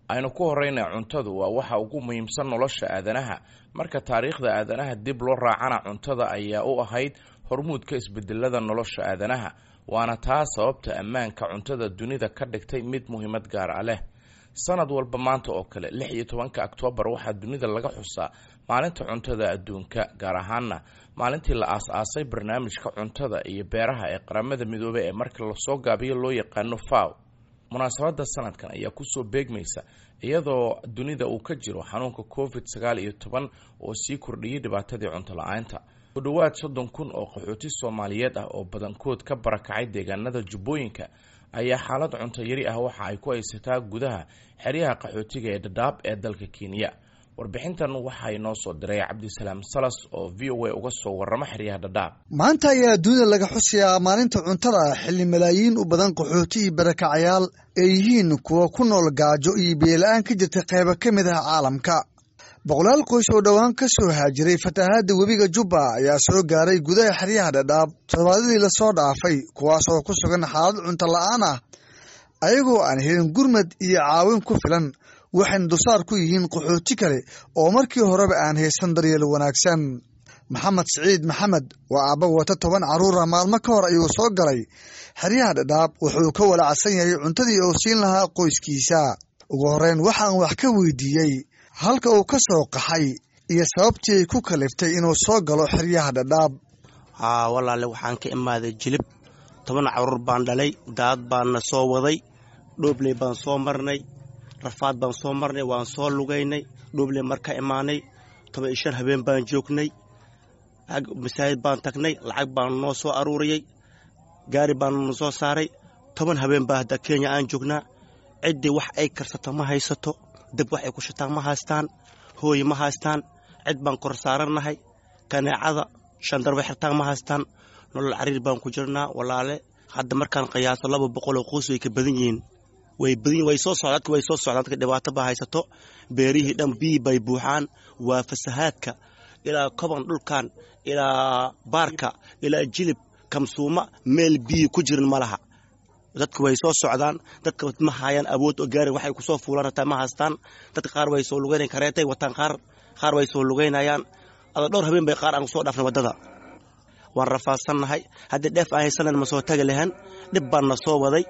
Aynu ku horeyna, cuntadu waa waxa ugu muhiimsan nolosha aadanaha. Marka taariikhda aadanaha dib loo raacana, cuntada ayaa u ahayd hormuudka isbedelada nolosha aadanaha, waana taa sababta ammaanka cuntada dunida ka dhigtay mid muhiimad gaar ah leh. Sanad walba maanta oo kale, 16-ka Oktoobar, waxaa dunida laga xusaa Maalinta Cuntada Adduunka, gaar ahaana maalintii la aas-aasay Barnaamijka Cuntada iyo Beeraha ee Qaramada Midoobey ee marka lasoo gaabiyo loo yaqaano FAO. Munaasabadda sanadkan ayaa kusoo beegmaysa iyadoo dunida uu ka jiro xanuunka COVID-19 oo sii kordhiyey dhibaatadii cunto la-aanta. Ku dhowaad 30,000 oo qaxooti Soomaaliyeed ah oo badankood ka barakacay deegaanada Jubbooyinka ayaa xaalad cunto yari ah waxa ay ku haysataa gudaha xeryaha qaxootiga ee Dhadhaab ee dalka Kenya. Warbixintan waxaa inoo soo diray Cabdisalaam Salas oo VOA uga soo warrama xeryaha Dhadhaab. Maanta ayaa dunida laga xusayaa Maalinta Cuntada, xilli malaayiin u badan qaxooti iyo barakacayaal ay yihiin kuwa ku nool gaajo iyo biyola-aan ka jirta qaybo ka mid ah caalamka. Boqolaal qoys oo dhowaan ka soo haajiray fatahaadda webiga Jubba ayaa soo gaaray gudaha xeryaha Dhadhaab toddobaadadii lasoo dhaafay, kuwaas oo ku sugan xaalad cunto la'aan ah, ayagoo aan helin gurmad iyo caawin ku filan, waxayna dulsaar ku yihiin qaxooti kale oo markii horeba aan haysan daryeel wanaagsan. Maxamed Siciid Maxamed waa aabba wata 10 carruura. Maalmo ka hor ayuu soo galay xeryaha Dhadhaab. Wuxuu ka walaacsan yahay cuntadii uu siin lahaa qoyskiisa. Ugu horreyn waxaan wax ka weydiiyey halka uu ka soo qaxay iyo sababtii ay ku kaliftay inuu soo galo xeryaha Dhadhaab. Haa walaale, waxaan ka imaaday Jilib. 10 carruur baan dhalay, daad baanna soo waday, Dhoobley baan soo marnay, rafaad baan soo marnay, waan soo lugaynay. Dhoobley marka imaanay, 15 habeen baan joognay. Masaajid baan tagnay, lacag baan noo soo aruuriyey, gaari baan na soo saaray. 10 habeen baa hadda Kenya aan joognaa. Ciddii wax ay karsato ma haysato, dab wax ay ku shitaan ma haystaan, hooyi ma haystaan, cid baan kor saarannahay. Kaneecada shandarba xirtaan ma haystaan. Nolol cariir baan ku jirnaa, walaale. Hadda markaan qiyaaso, 200 oo qoys way ka badan yihiin, way badan, way soo socdaan dadka, way soo socdaan dadka. Dhibaato baa haysato, beerihii dhan biyi bay buuxaan. Waa fasahaadka ilaa Koban, dhulkan ilaa Baarka, ilaa Jilib, Kamsuuma, meel biyi ku jirin ma laha. Dadka way soo socdaan. Dadka ma hayaan awood oo gaari waxay kusoo fuulaan hataa ma haystaan. Dadka qaar way soo lugeynayaan, kareetay wataan qaar, qaar way soo lugeynayaan. Ada dhowr habeen bay qaar aan kusoo dhaafnay waddada. Waan rafaadsannahay. Haddii dheef aan haysanan ma soo tagi lahayn. Dhib baan na soo waday.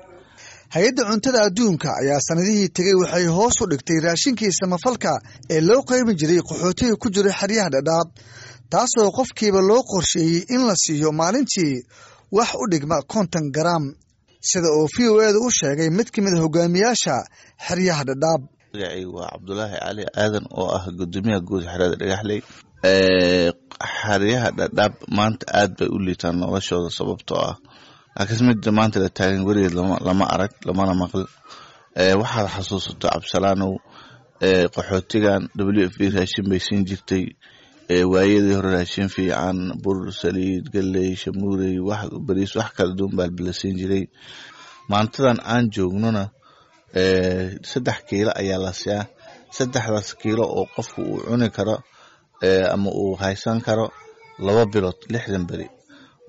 Hay-adda Cuntada Adduunka ayaa sanadihii tegey waxay hoos u dhigtay raashinkii samafalka ee loo qaybin jiray qaxootiga ku jiray xeryaha Dhadhaab, taasoo qofkiiba loo qorsheeyey in la siiyo maalintii wax u dhigma 50 garaam, sida uu VOA-da u sheegay mid ka mid a hogaamiyaasha xeryaha Dhadhaab. Magacaygu waa Cabdulaahi Cali Aadan oo ah gudoomiyaha guud xerada Dhagaxley. Xeryaha Dhadhaab maanta aad bay u liitaan noloshooda, sababtoo ah laakiin midda maanta la taagan weligeed lama arag lamana maql. Waxaad xasuusato, Cabsalaanow, qaxootigan WFP raashin bay siin jirtay waayadii hore, raashin fiican, bur, saliid, galley, shamuurey, wax bariis, wax kala duwan baa la siin jiray. Maantadan aan joognona 3 kiilo ayaa la siyaa, saddexdaas kiilo oo qofku uu cuni karo ama uu haysan karo 2 bilood, 60 beri.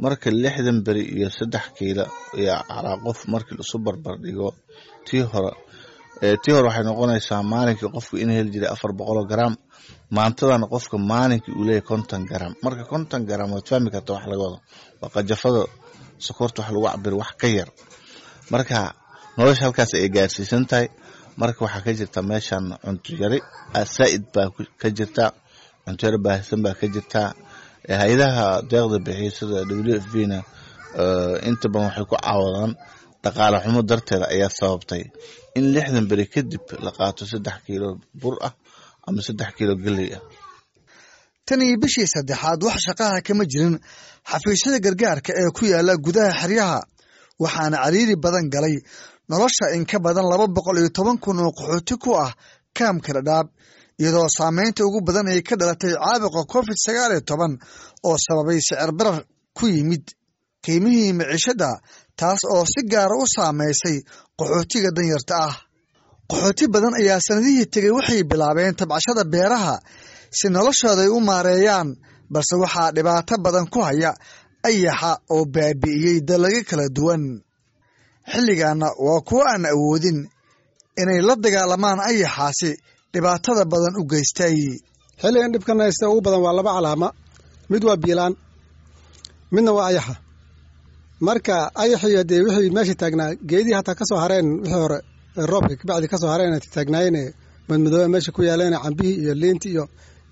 Marka 60 beri iyo 3 kiilo iyo calaa qof markii laisu barbar dhigo tii hore, waxay noqonaysaa maalinkii qofku in heli jiray 400 garaam, maantadana qofka maalinkii uu leeyahay 50 garaam. Marka 50 garaam waad fahmi karta wax laga wado, waa qajafada sokorta wax lagu cabiro wax ka yar. Marka nolosha halkaas ay gaarsiisan tahay. Marka waxaa ka jirta meeshan cunto yari saa'id baa ka jirta, cunto yari baahsan baa ka jirta. Hay-adaha deeqda bixiya sida WFP na inta badan waxay ku caawadaan dhaqaale xumo darteeda ayaa sababtay in 60 beri kadib la qaato 3 kiilo bur ah ama 3 kiilo galley ah. Tan iyo bishii saddexaad wax shaqaha kama jirin xafiisyada gargaarka ee ku yaala gudaha xeryaha, waxaana cariiri badan galay nolosha in ka badan 210,000 oo qaxooti ku ah kaamka Dhadhaab, iyadoo saameynta ugu badan ay ka dhalatay caabuqa COVID-19 oo sababay sicir barar ku yimid qiimihii maciishadda, taas oo si gaara u saameysay qaxootiga danyarta ah. Qaxooti badan ayaa sanadihii tegey waxay bilaabeen tabcashada beeraha si noloshooda ay u maareeyaan, balse waxaa dhibaato badan ku haya ayaxa oo baabi'iyey dalagyo kala duwan. Xilligaana waa kuwo aan awoodin inay la dagaalamaan ayaxaasi dhibaatada badan u geystay. Xilligan dhibkan haysta ugu badan waa laba calaama: mid waa biilaan, midna waa ayaxa. Marka ayaxii hadee wixii meesha taagnaa, geedihii hataa ka soo hareen wixii hore roobka kabacdi ka soo hareen taagnaayeen, madmadooba meesha ku yaaleen, cambihii iyo liintii iyo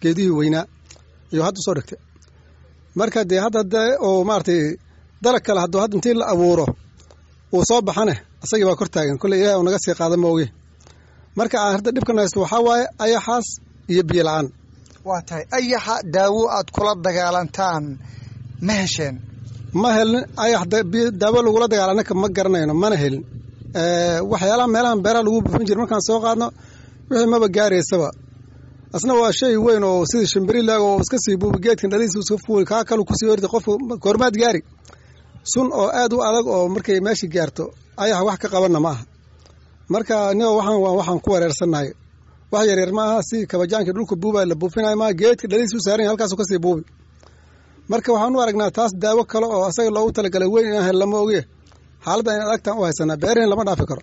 geedihii weynaa iyo hadda soo dhigtay. Marka dee hadda dee oo maaragtay dalag kale hadduu hadda intii la abuuro uu soo baxane, asagii baa kor taagan. Kolley Ilahi uu naga sii qaada mooge. Marka aan hadda dhibkan haysto waxaa waaye ayaxaas iyo biyo la-aan. Waa tahay, ayaxa daawo aad kula dagaalantaan ma hesheen? Ma helin. Ayax daawo lagula dagaala anaka ma garanayno, mana helin. Waxyaalaha meelahan beeraha lagu buufin jira markaan soo qaadno, wixii maba gaaraysaba. Asna waa shay weyn oo sidii shimbirilaag oo iska sii buubi, geedkan dhalihiisa iska fuuli, kaa kalu kusii ordi. Qofku goormaad gaari sun oo aad u adag oo markay meesha gaarto ayax wax ka qabanna ma aha. Marka nigo waxaan ku wareersannahay wax yaryar ma aha. Si kabajaankii dhulka buubay la buufinayo maaha, geedka dhalihiisa u saaran yahay, halkaasuu kasii buubi. Marka waxaan u aragnaa taas daawo kale oo asaga loogu talagalay weyn inaan hel lama oge. Xaaladda in adagtaan u haysanaa, beerihin lama dhaafi karo.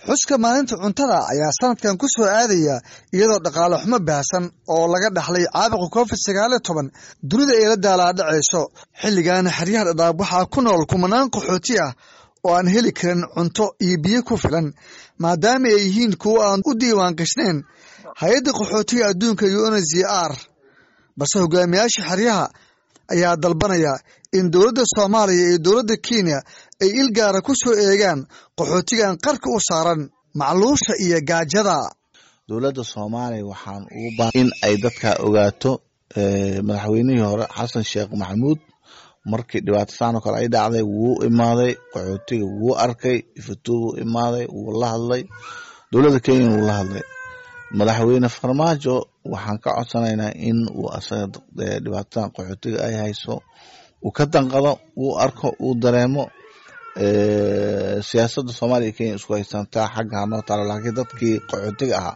Xuska maalinta cuntada ayaa sanadkan ku soo aadaya iyadoo dhaqaale xumo baahsan oo laga dhaxlay caabuqa COVID-19 dunida ay la daalaadhacayso. Xilligan xeryaha Dhadhaab waxaa ku nool kumanaan qaxooti ah oo aan heli karin cunto iyo biyo ku filan, maadaama ay yihiin kuwo aan u diiwaan gashnayn hay-adda qaxootiga adduunka UNHCR. Balse hogaamiyaasha xeryaha ayaa dalbanaya in dowladda Soomaaliya iyo dowladda Kenya ay ilgaara ku soo eegaan qaxootigan qarka u saaran macluusha iyo gaajada. Dowladda Soomaaliya waxaan ugu baa in ay dadka ogaato. Madaxweynihii hore Xasan Sheekh Maxamuud markii dhibaato saan oo kale ay dhacday wuu imaaday qaxootiga, wuu arkay Ifatuu, wuu imaaday, wuu la hadlay dowladda Kenya, wuu la hadlay. Madaxweyne Farmaajo waxaan ka codsanaynaa in uu asaga dhibaatadan qaxootiga ay hayso uu ka danqado, uu arko, uu dareemo. Siyaasadda Soomaaliya iyo Kenya isku haysantaa xagga hanoo taalo, laakiin dadkii qaxootiga ahaa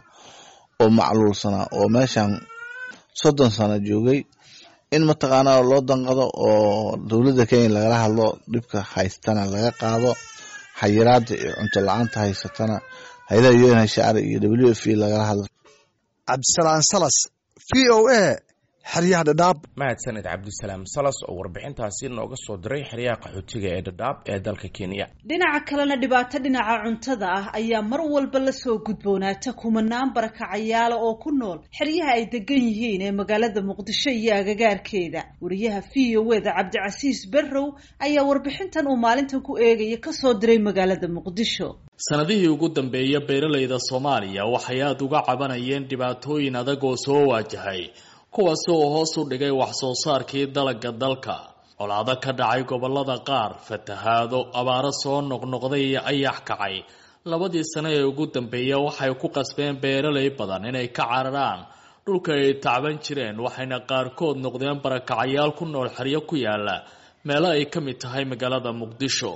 oo macluulsanaa oo meeshan 30 sano joogay in mataqaanaa loo danqado oo dowladda Kenya lagala hadlo, dhibka haystana laga qaado, xayiraada iyo cunto la-aanta haysatana hay-adaha UNHCR iyo WFP lagala hadlo. Cabdisalaan Salas, VOA, xeryaha Dhadhaab. Mahadsaned Cabdisalaam Salas oo warbixintaasi nooga soo diray xeryaha qaxootiga ee Dhadhaab ee dalka Kenya. Dhinaca kalena, dhibaato dhinaca cuntada ah ayaa mar walba lasoo gudboonaata kumanaan barakacayaala oo ku nool xeryaha ay degan yihiin ee magaalada Muqdisho iyo agagaarkeeda. Wariyaha VOA da Cabdicasiis Barrow ayaa warbixintan uu maalintan ku eegaya kasoo diray magaalada Muqdisho. Sanadihii ugu dambeeyay, beeralayda Soomaaliya waxay aada uga cabanayeen dhibaatooyin adag oo soo waajahay, kuwaasi oo hoos u dhigay wax soo saarkii dalagga dalka. Colaado ka dhacay gobolada qaar, fatahaado, abaaro soo noqnoqday iyo ayax kacay labadii sano ee ugu dambeeya waxay ku qasbeen beeralay badan inay ka cararaan dhulka ay tacban jireen, waxayna qaarkood noqdeen barakacayaal ku nool xeryo ku yaala meelo ay ka mid tahay magaalada Muqdisho.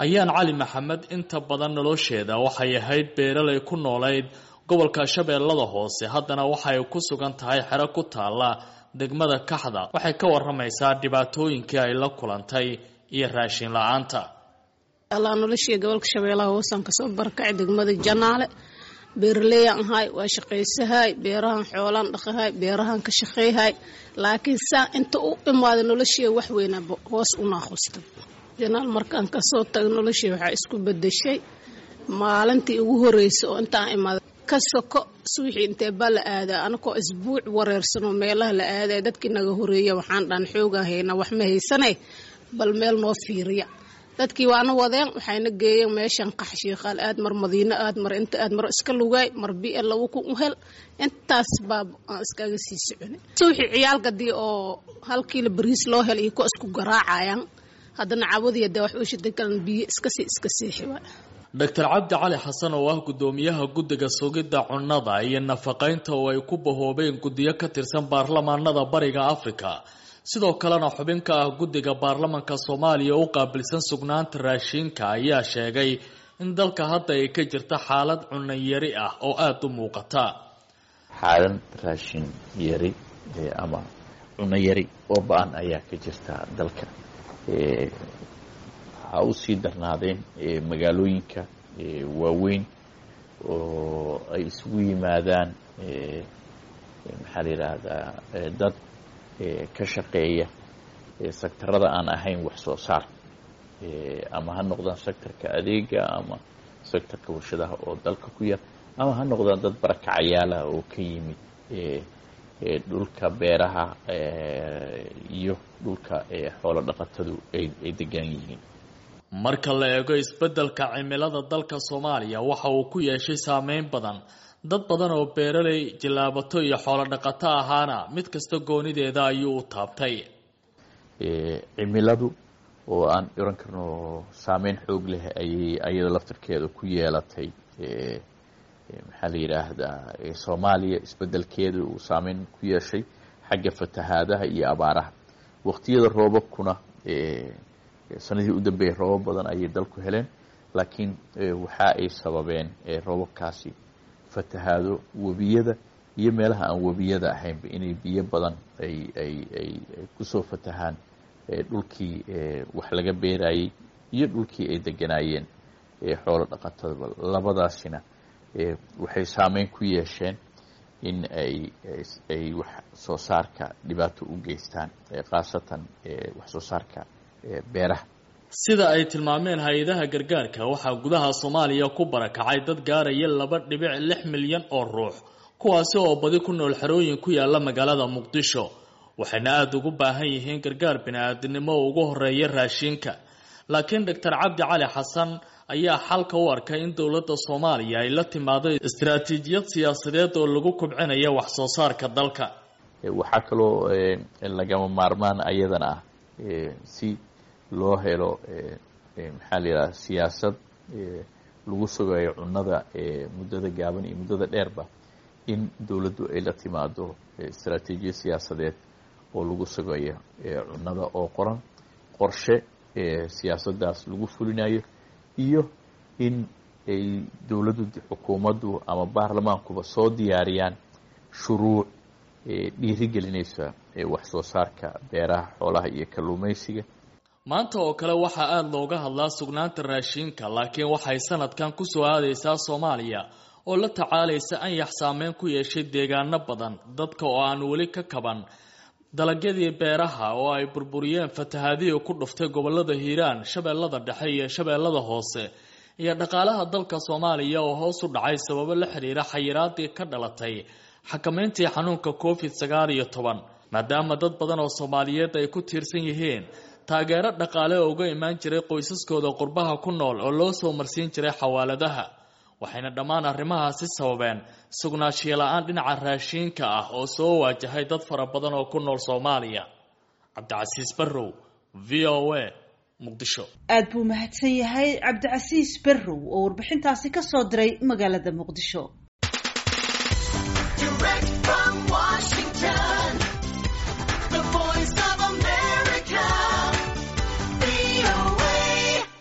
Ayaan Cali Maxamed inta badan nolosheeda waxay ahayd beeralay ku noolayd gobolka Shabeellada Hoose, haddana waxay ku sugan tahay xero ku taalla degmada Kaxda. Waxay ka waramaysaa dhibaatooyinkii ay la kulantay iyo raashin la-aanta. Allah, noloshii gobolka Shabeellaha Hoosaan kasoo barakacay, degmada Janaale. Beeraleeyaan ahay, waa shaqaysahay, beerahan xoolaan dhaqahay, beerahan ka shaqeyhay, laakiin saa inta u imaaday noloshii wax weynaa hoos u naaqustay. Janaal markaan kasoo tago, noloshii waxaa isku bedeshay maalintii ugu horreysay oo intaan imaaday ka soko. Suwixii intee baa la aadaa, anakoo isbuuc wareersanoo meelaha la aadaya, dadkii naga horeeya waxaan dhan xoogaa haynaa, wax ma haysanay, bal meel noo fiiriya. Dadkii waana wadeen, waxayna geeyeen meeshan Qaxshiiqaal aad, mar Madiino aad, mar inta aad, mar iska lugaay, mar bi 2000 u hel. Intaas baa aan iskaga sii soconay. Suuxii ciyaalkadii oo hal kiilo bariis loo hel iyo kuwa isku garaacayaan, haddana cawadiya dee wax u shiday kalan, biyo iskasii iska seexi waay. Doctor Cabdi Cali Xasan oo ah guddoomiyaha guddiga sugidda cunnada iyo nafaqaynta oo ay ku bahoobeen guddiyo ka tirsan baarlamaanada Bariga Afrika, sidoo kalena xubin ka ah guddiga baarlamanka Soomaaliya u qaabilsan sugnaanta raashinka, ayaa sheegay in dalka hadda ay ka jirta xaalad cunno yari ah oo aada u muuqata. Xaalad raashin yari ama cunno yari oo ba-an ayaa ka jirta dalka. Ha u sii darnaadeen magaalooyinka waaweyn. oo ay isugu yimaadaan maxaa la yidhaahdaa dad ka shaqeeya sektarada aan ahayn wax soo saar, ama ha noqdaan sektorka adeega ama sektorka warshadaha oo dalka ku yar, ama ha noqdaan dad barakacayaalaha oo ka yimid dhulka beeraha iyo dhulka xoolo dhaqatadu ay degan yihiin. Marka la eego isbeddelka cimilada dalka Soomaaliya, waxa uu ku yeeshay saameyn badan dad badan oo beeraley, jilaabato iyo xoolo dhaqato ahaana mid kasta goonideeda ayuu u taabtay. Cimiladu oo aan oran karno saameyn xoog leh ayay ayada laftirkeeda ku yeelatay, maxaa la yidhaahdaa, Soomaaliya isbeddelkeeda uu saameyn ku yeeshay xagga fatahaadaha iyo abaaraha. Waqtiyada roobabkuna sanadihii u dambeeyay roobab badan ayay dalku heleen, laakiin waxa ay sababeen roobabkaasi fatahaado webiyada iyo meelaha aan webiyada ahaynba inay biyo badan ay kusoo fatahaan dhulkii wax laga beerayey iyo dhulkii ay deganaayeen xoolo dhaqatadaba. Labadaasina waxay saameyn ku yeesheen in ay wax soo saarka dhibaato u geystaan, khaasatan wax soo saarka beeraha. Sida ay tilmaameen hay-adaha gargaarka, waxaa gudaha Soomaaliya ku barakacay dad gaaraya 2.6 milyan oo ruux, kuwaasi oo badi ku nool xerooyin ku yaala magaalada Muqdisho, waxayna aada ugu baahan yihiin gargaar bini-aadinimo oo ugu horeeya raashinka. Laakiin Doctor Cabdi Cali Xasan ayaa xalka u arkay in dowladda Soomaaliya ay la timaado istaraatiijiyad siyaasadeed oo lagu kubcinayo wax soo saarka dalka. Waxaa kaloo lagama maarmaan ayadana ah si loo helo, maxaa la yidhaha, siyaasad lagu sugayo cunnada muddada gaaban iyo muddada dheerba, in dowladdu ay la timaado istaraatiijiyad siyaasadeed oo lagu sugayo cunnada oo qoran, qorshe siyaasaddaas lagu fulinayo, iyo in ay dowladdu, xukuumaddu ama baarlamaankuba soo diyaariyaan shuruuc dhiirigelinaysa wax soo saarka beeraha, xoolaha iyo kalluumaysiga. Maanta oo kale waxaa aada looga hadlaa sugnaanta raashinka, laakiin waxay sanadkan kusoo aadaysaa Soomaaliya oo la tacaalaysa anyax saameyn ku yeeshay deegaano badan, dadka oo aan weli ka kaban dalagyadii beeraha oo ay burburiyeen fatahaadihii ku dhuftay gobolada Hiiraan, Shabeellada Dhexe iyo Shabeellada Hoose, iyo dhaqaalaha dalka Soomaaliya oo hoos u dhacay sababo la xiriira xayiraadii ka dhalatay xakameyntii xanuunka COVID-19, maadaama dad badan oo Soomaaliyeed ay ku tiirsan yihiin taageero dhaqaale oo uga imaan jiray qoysaskooda qurbaha ku nool oo loo soo marsiin jiray xawaaladaha. Waxayna dhammaan arrimahaasi sababeen sugnaanshiyo la-aan dhinaca raashiinka ah oo soo waajahay dad fara badan oo ku nool Soomaaliya. Cabdicasiis Barrow, VOA, Muqdisho. Aad buu mahadsan yahay Cabdicasiis Barrow oo warbixintaasi ka soo diray magaalada Muqdisho. Direct from Washington.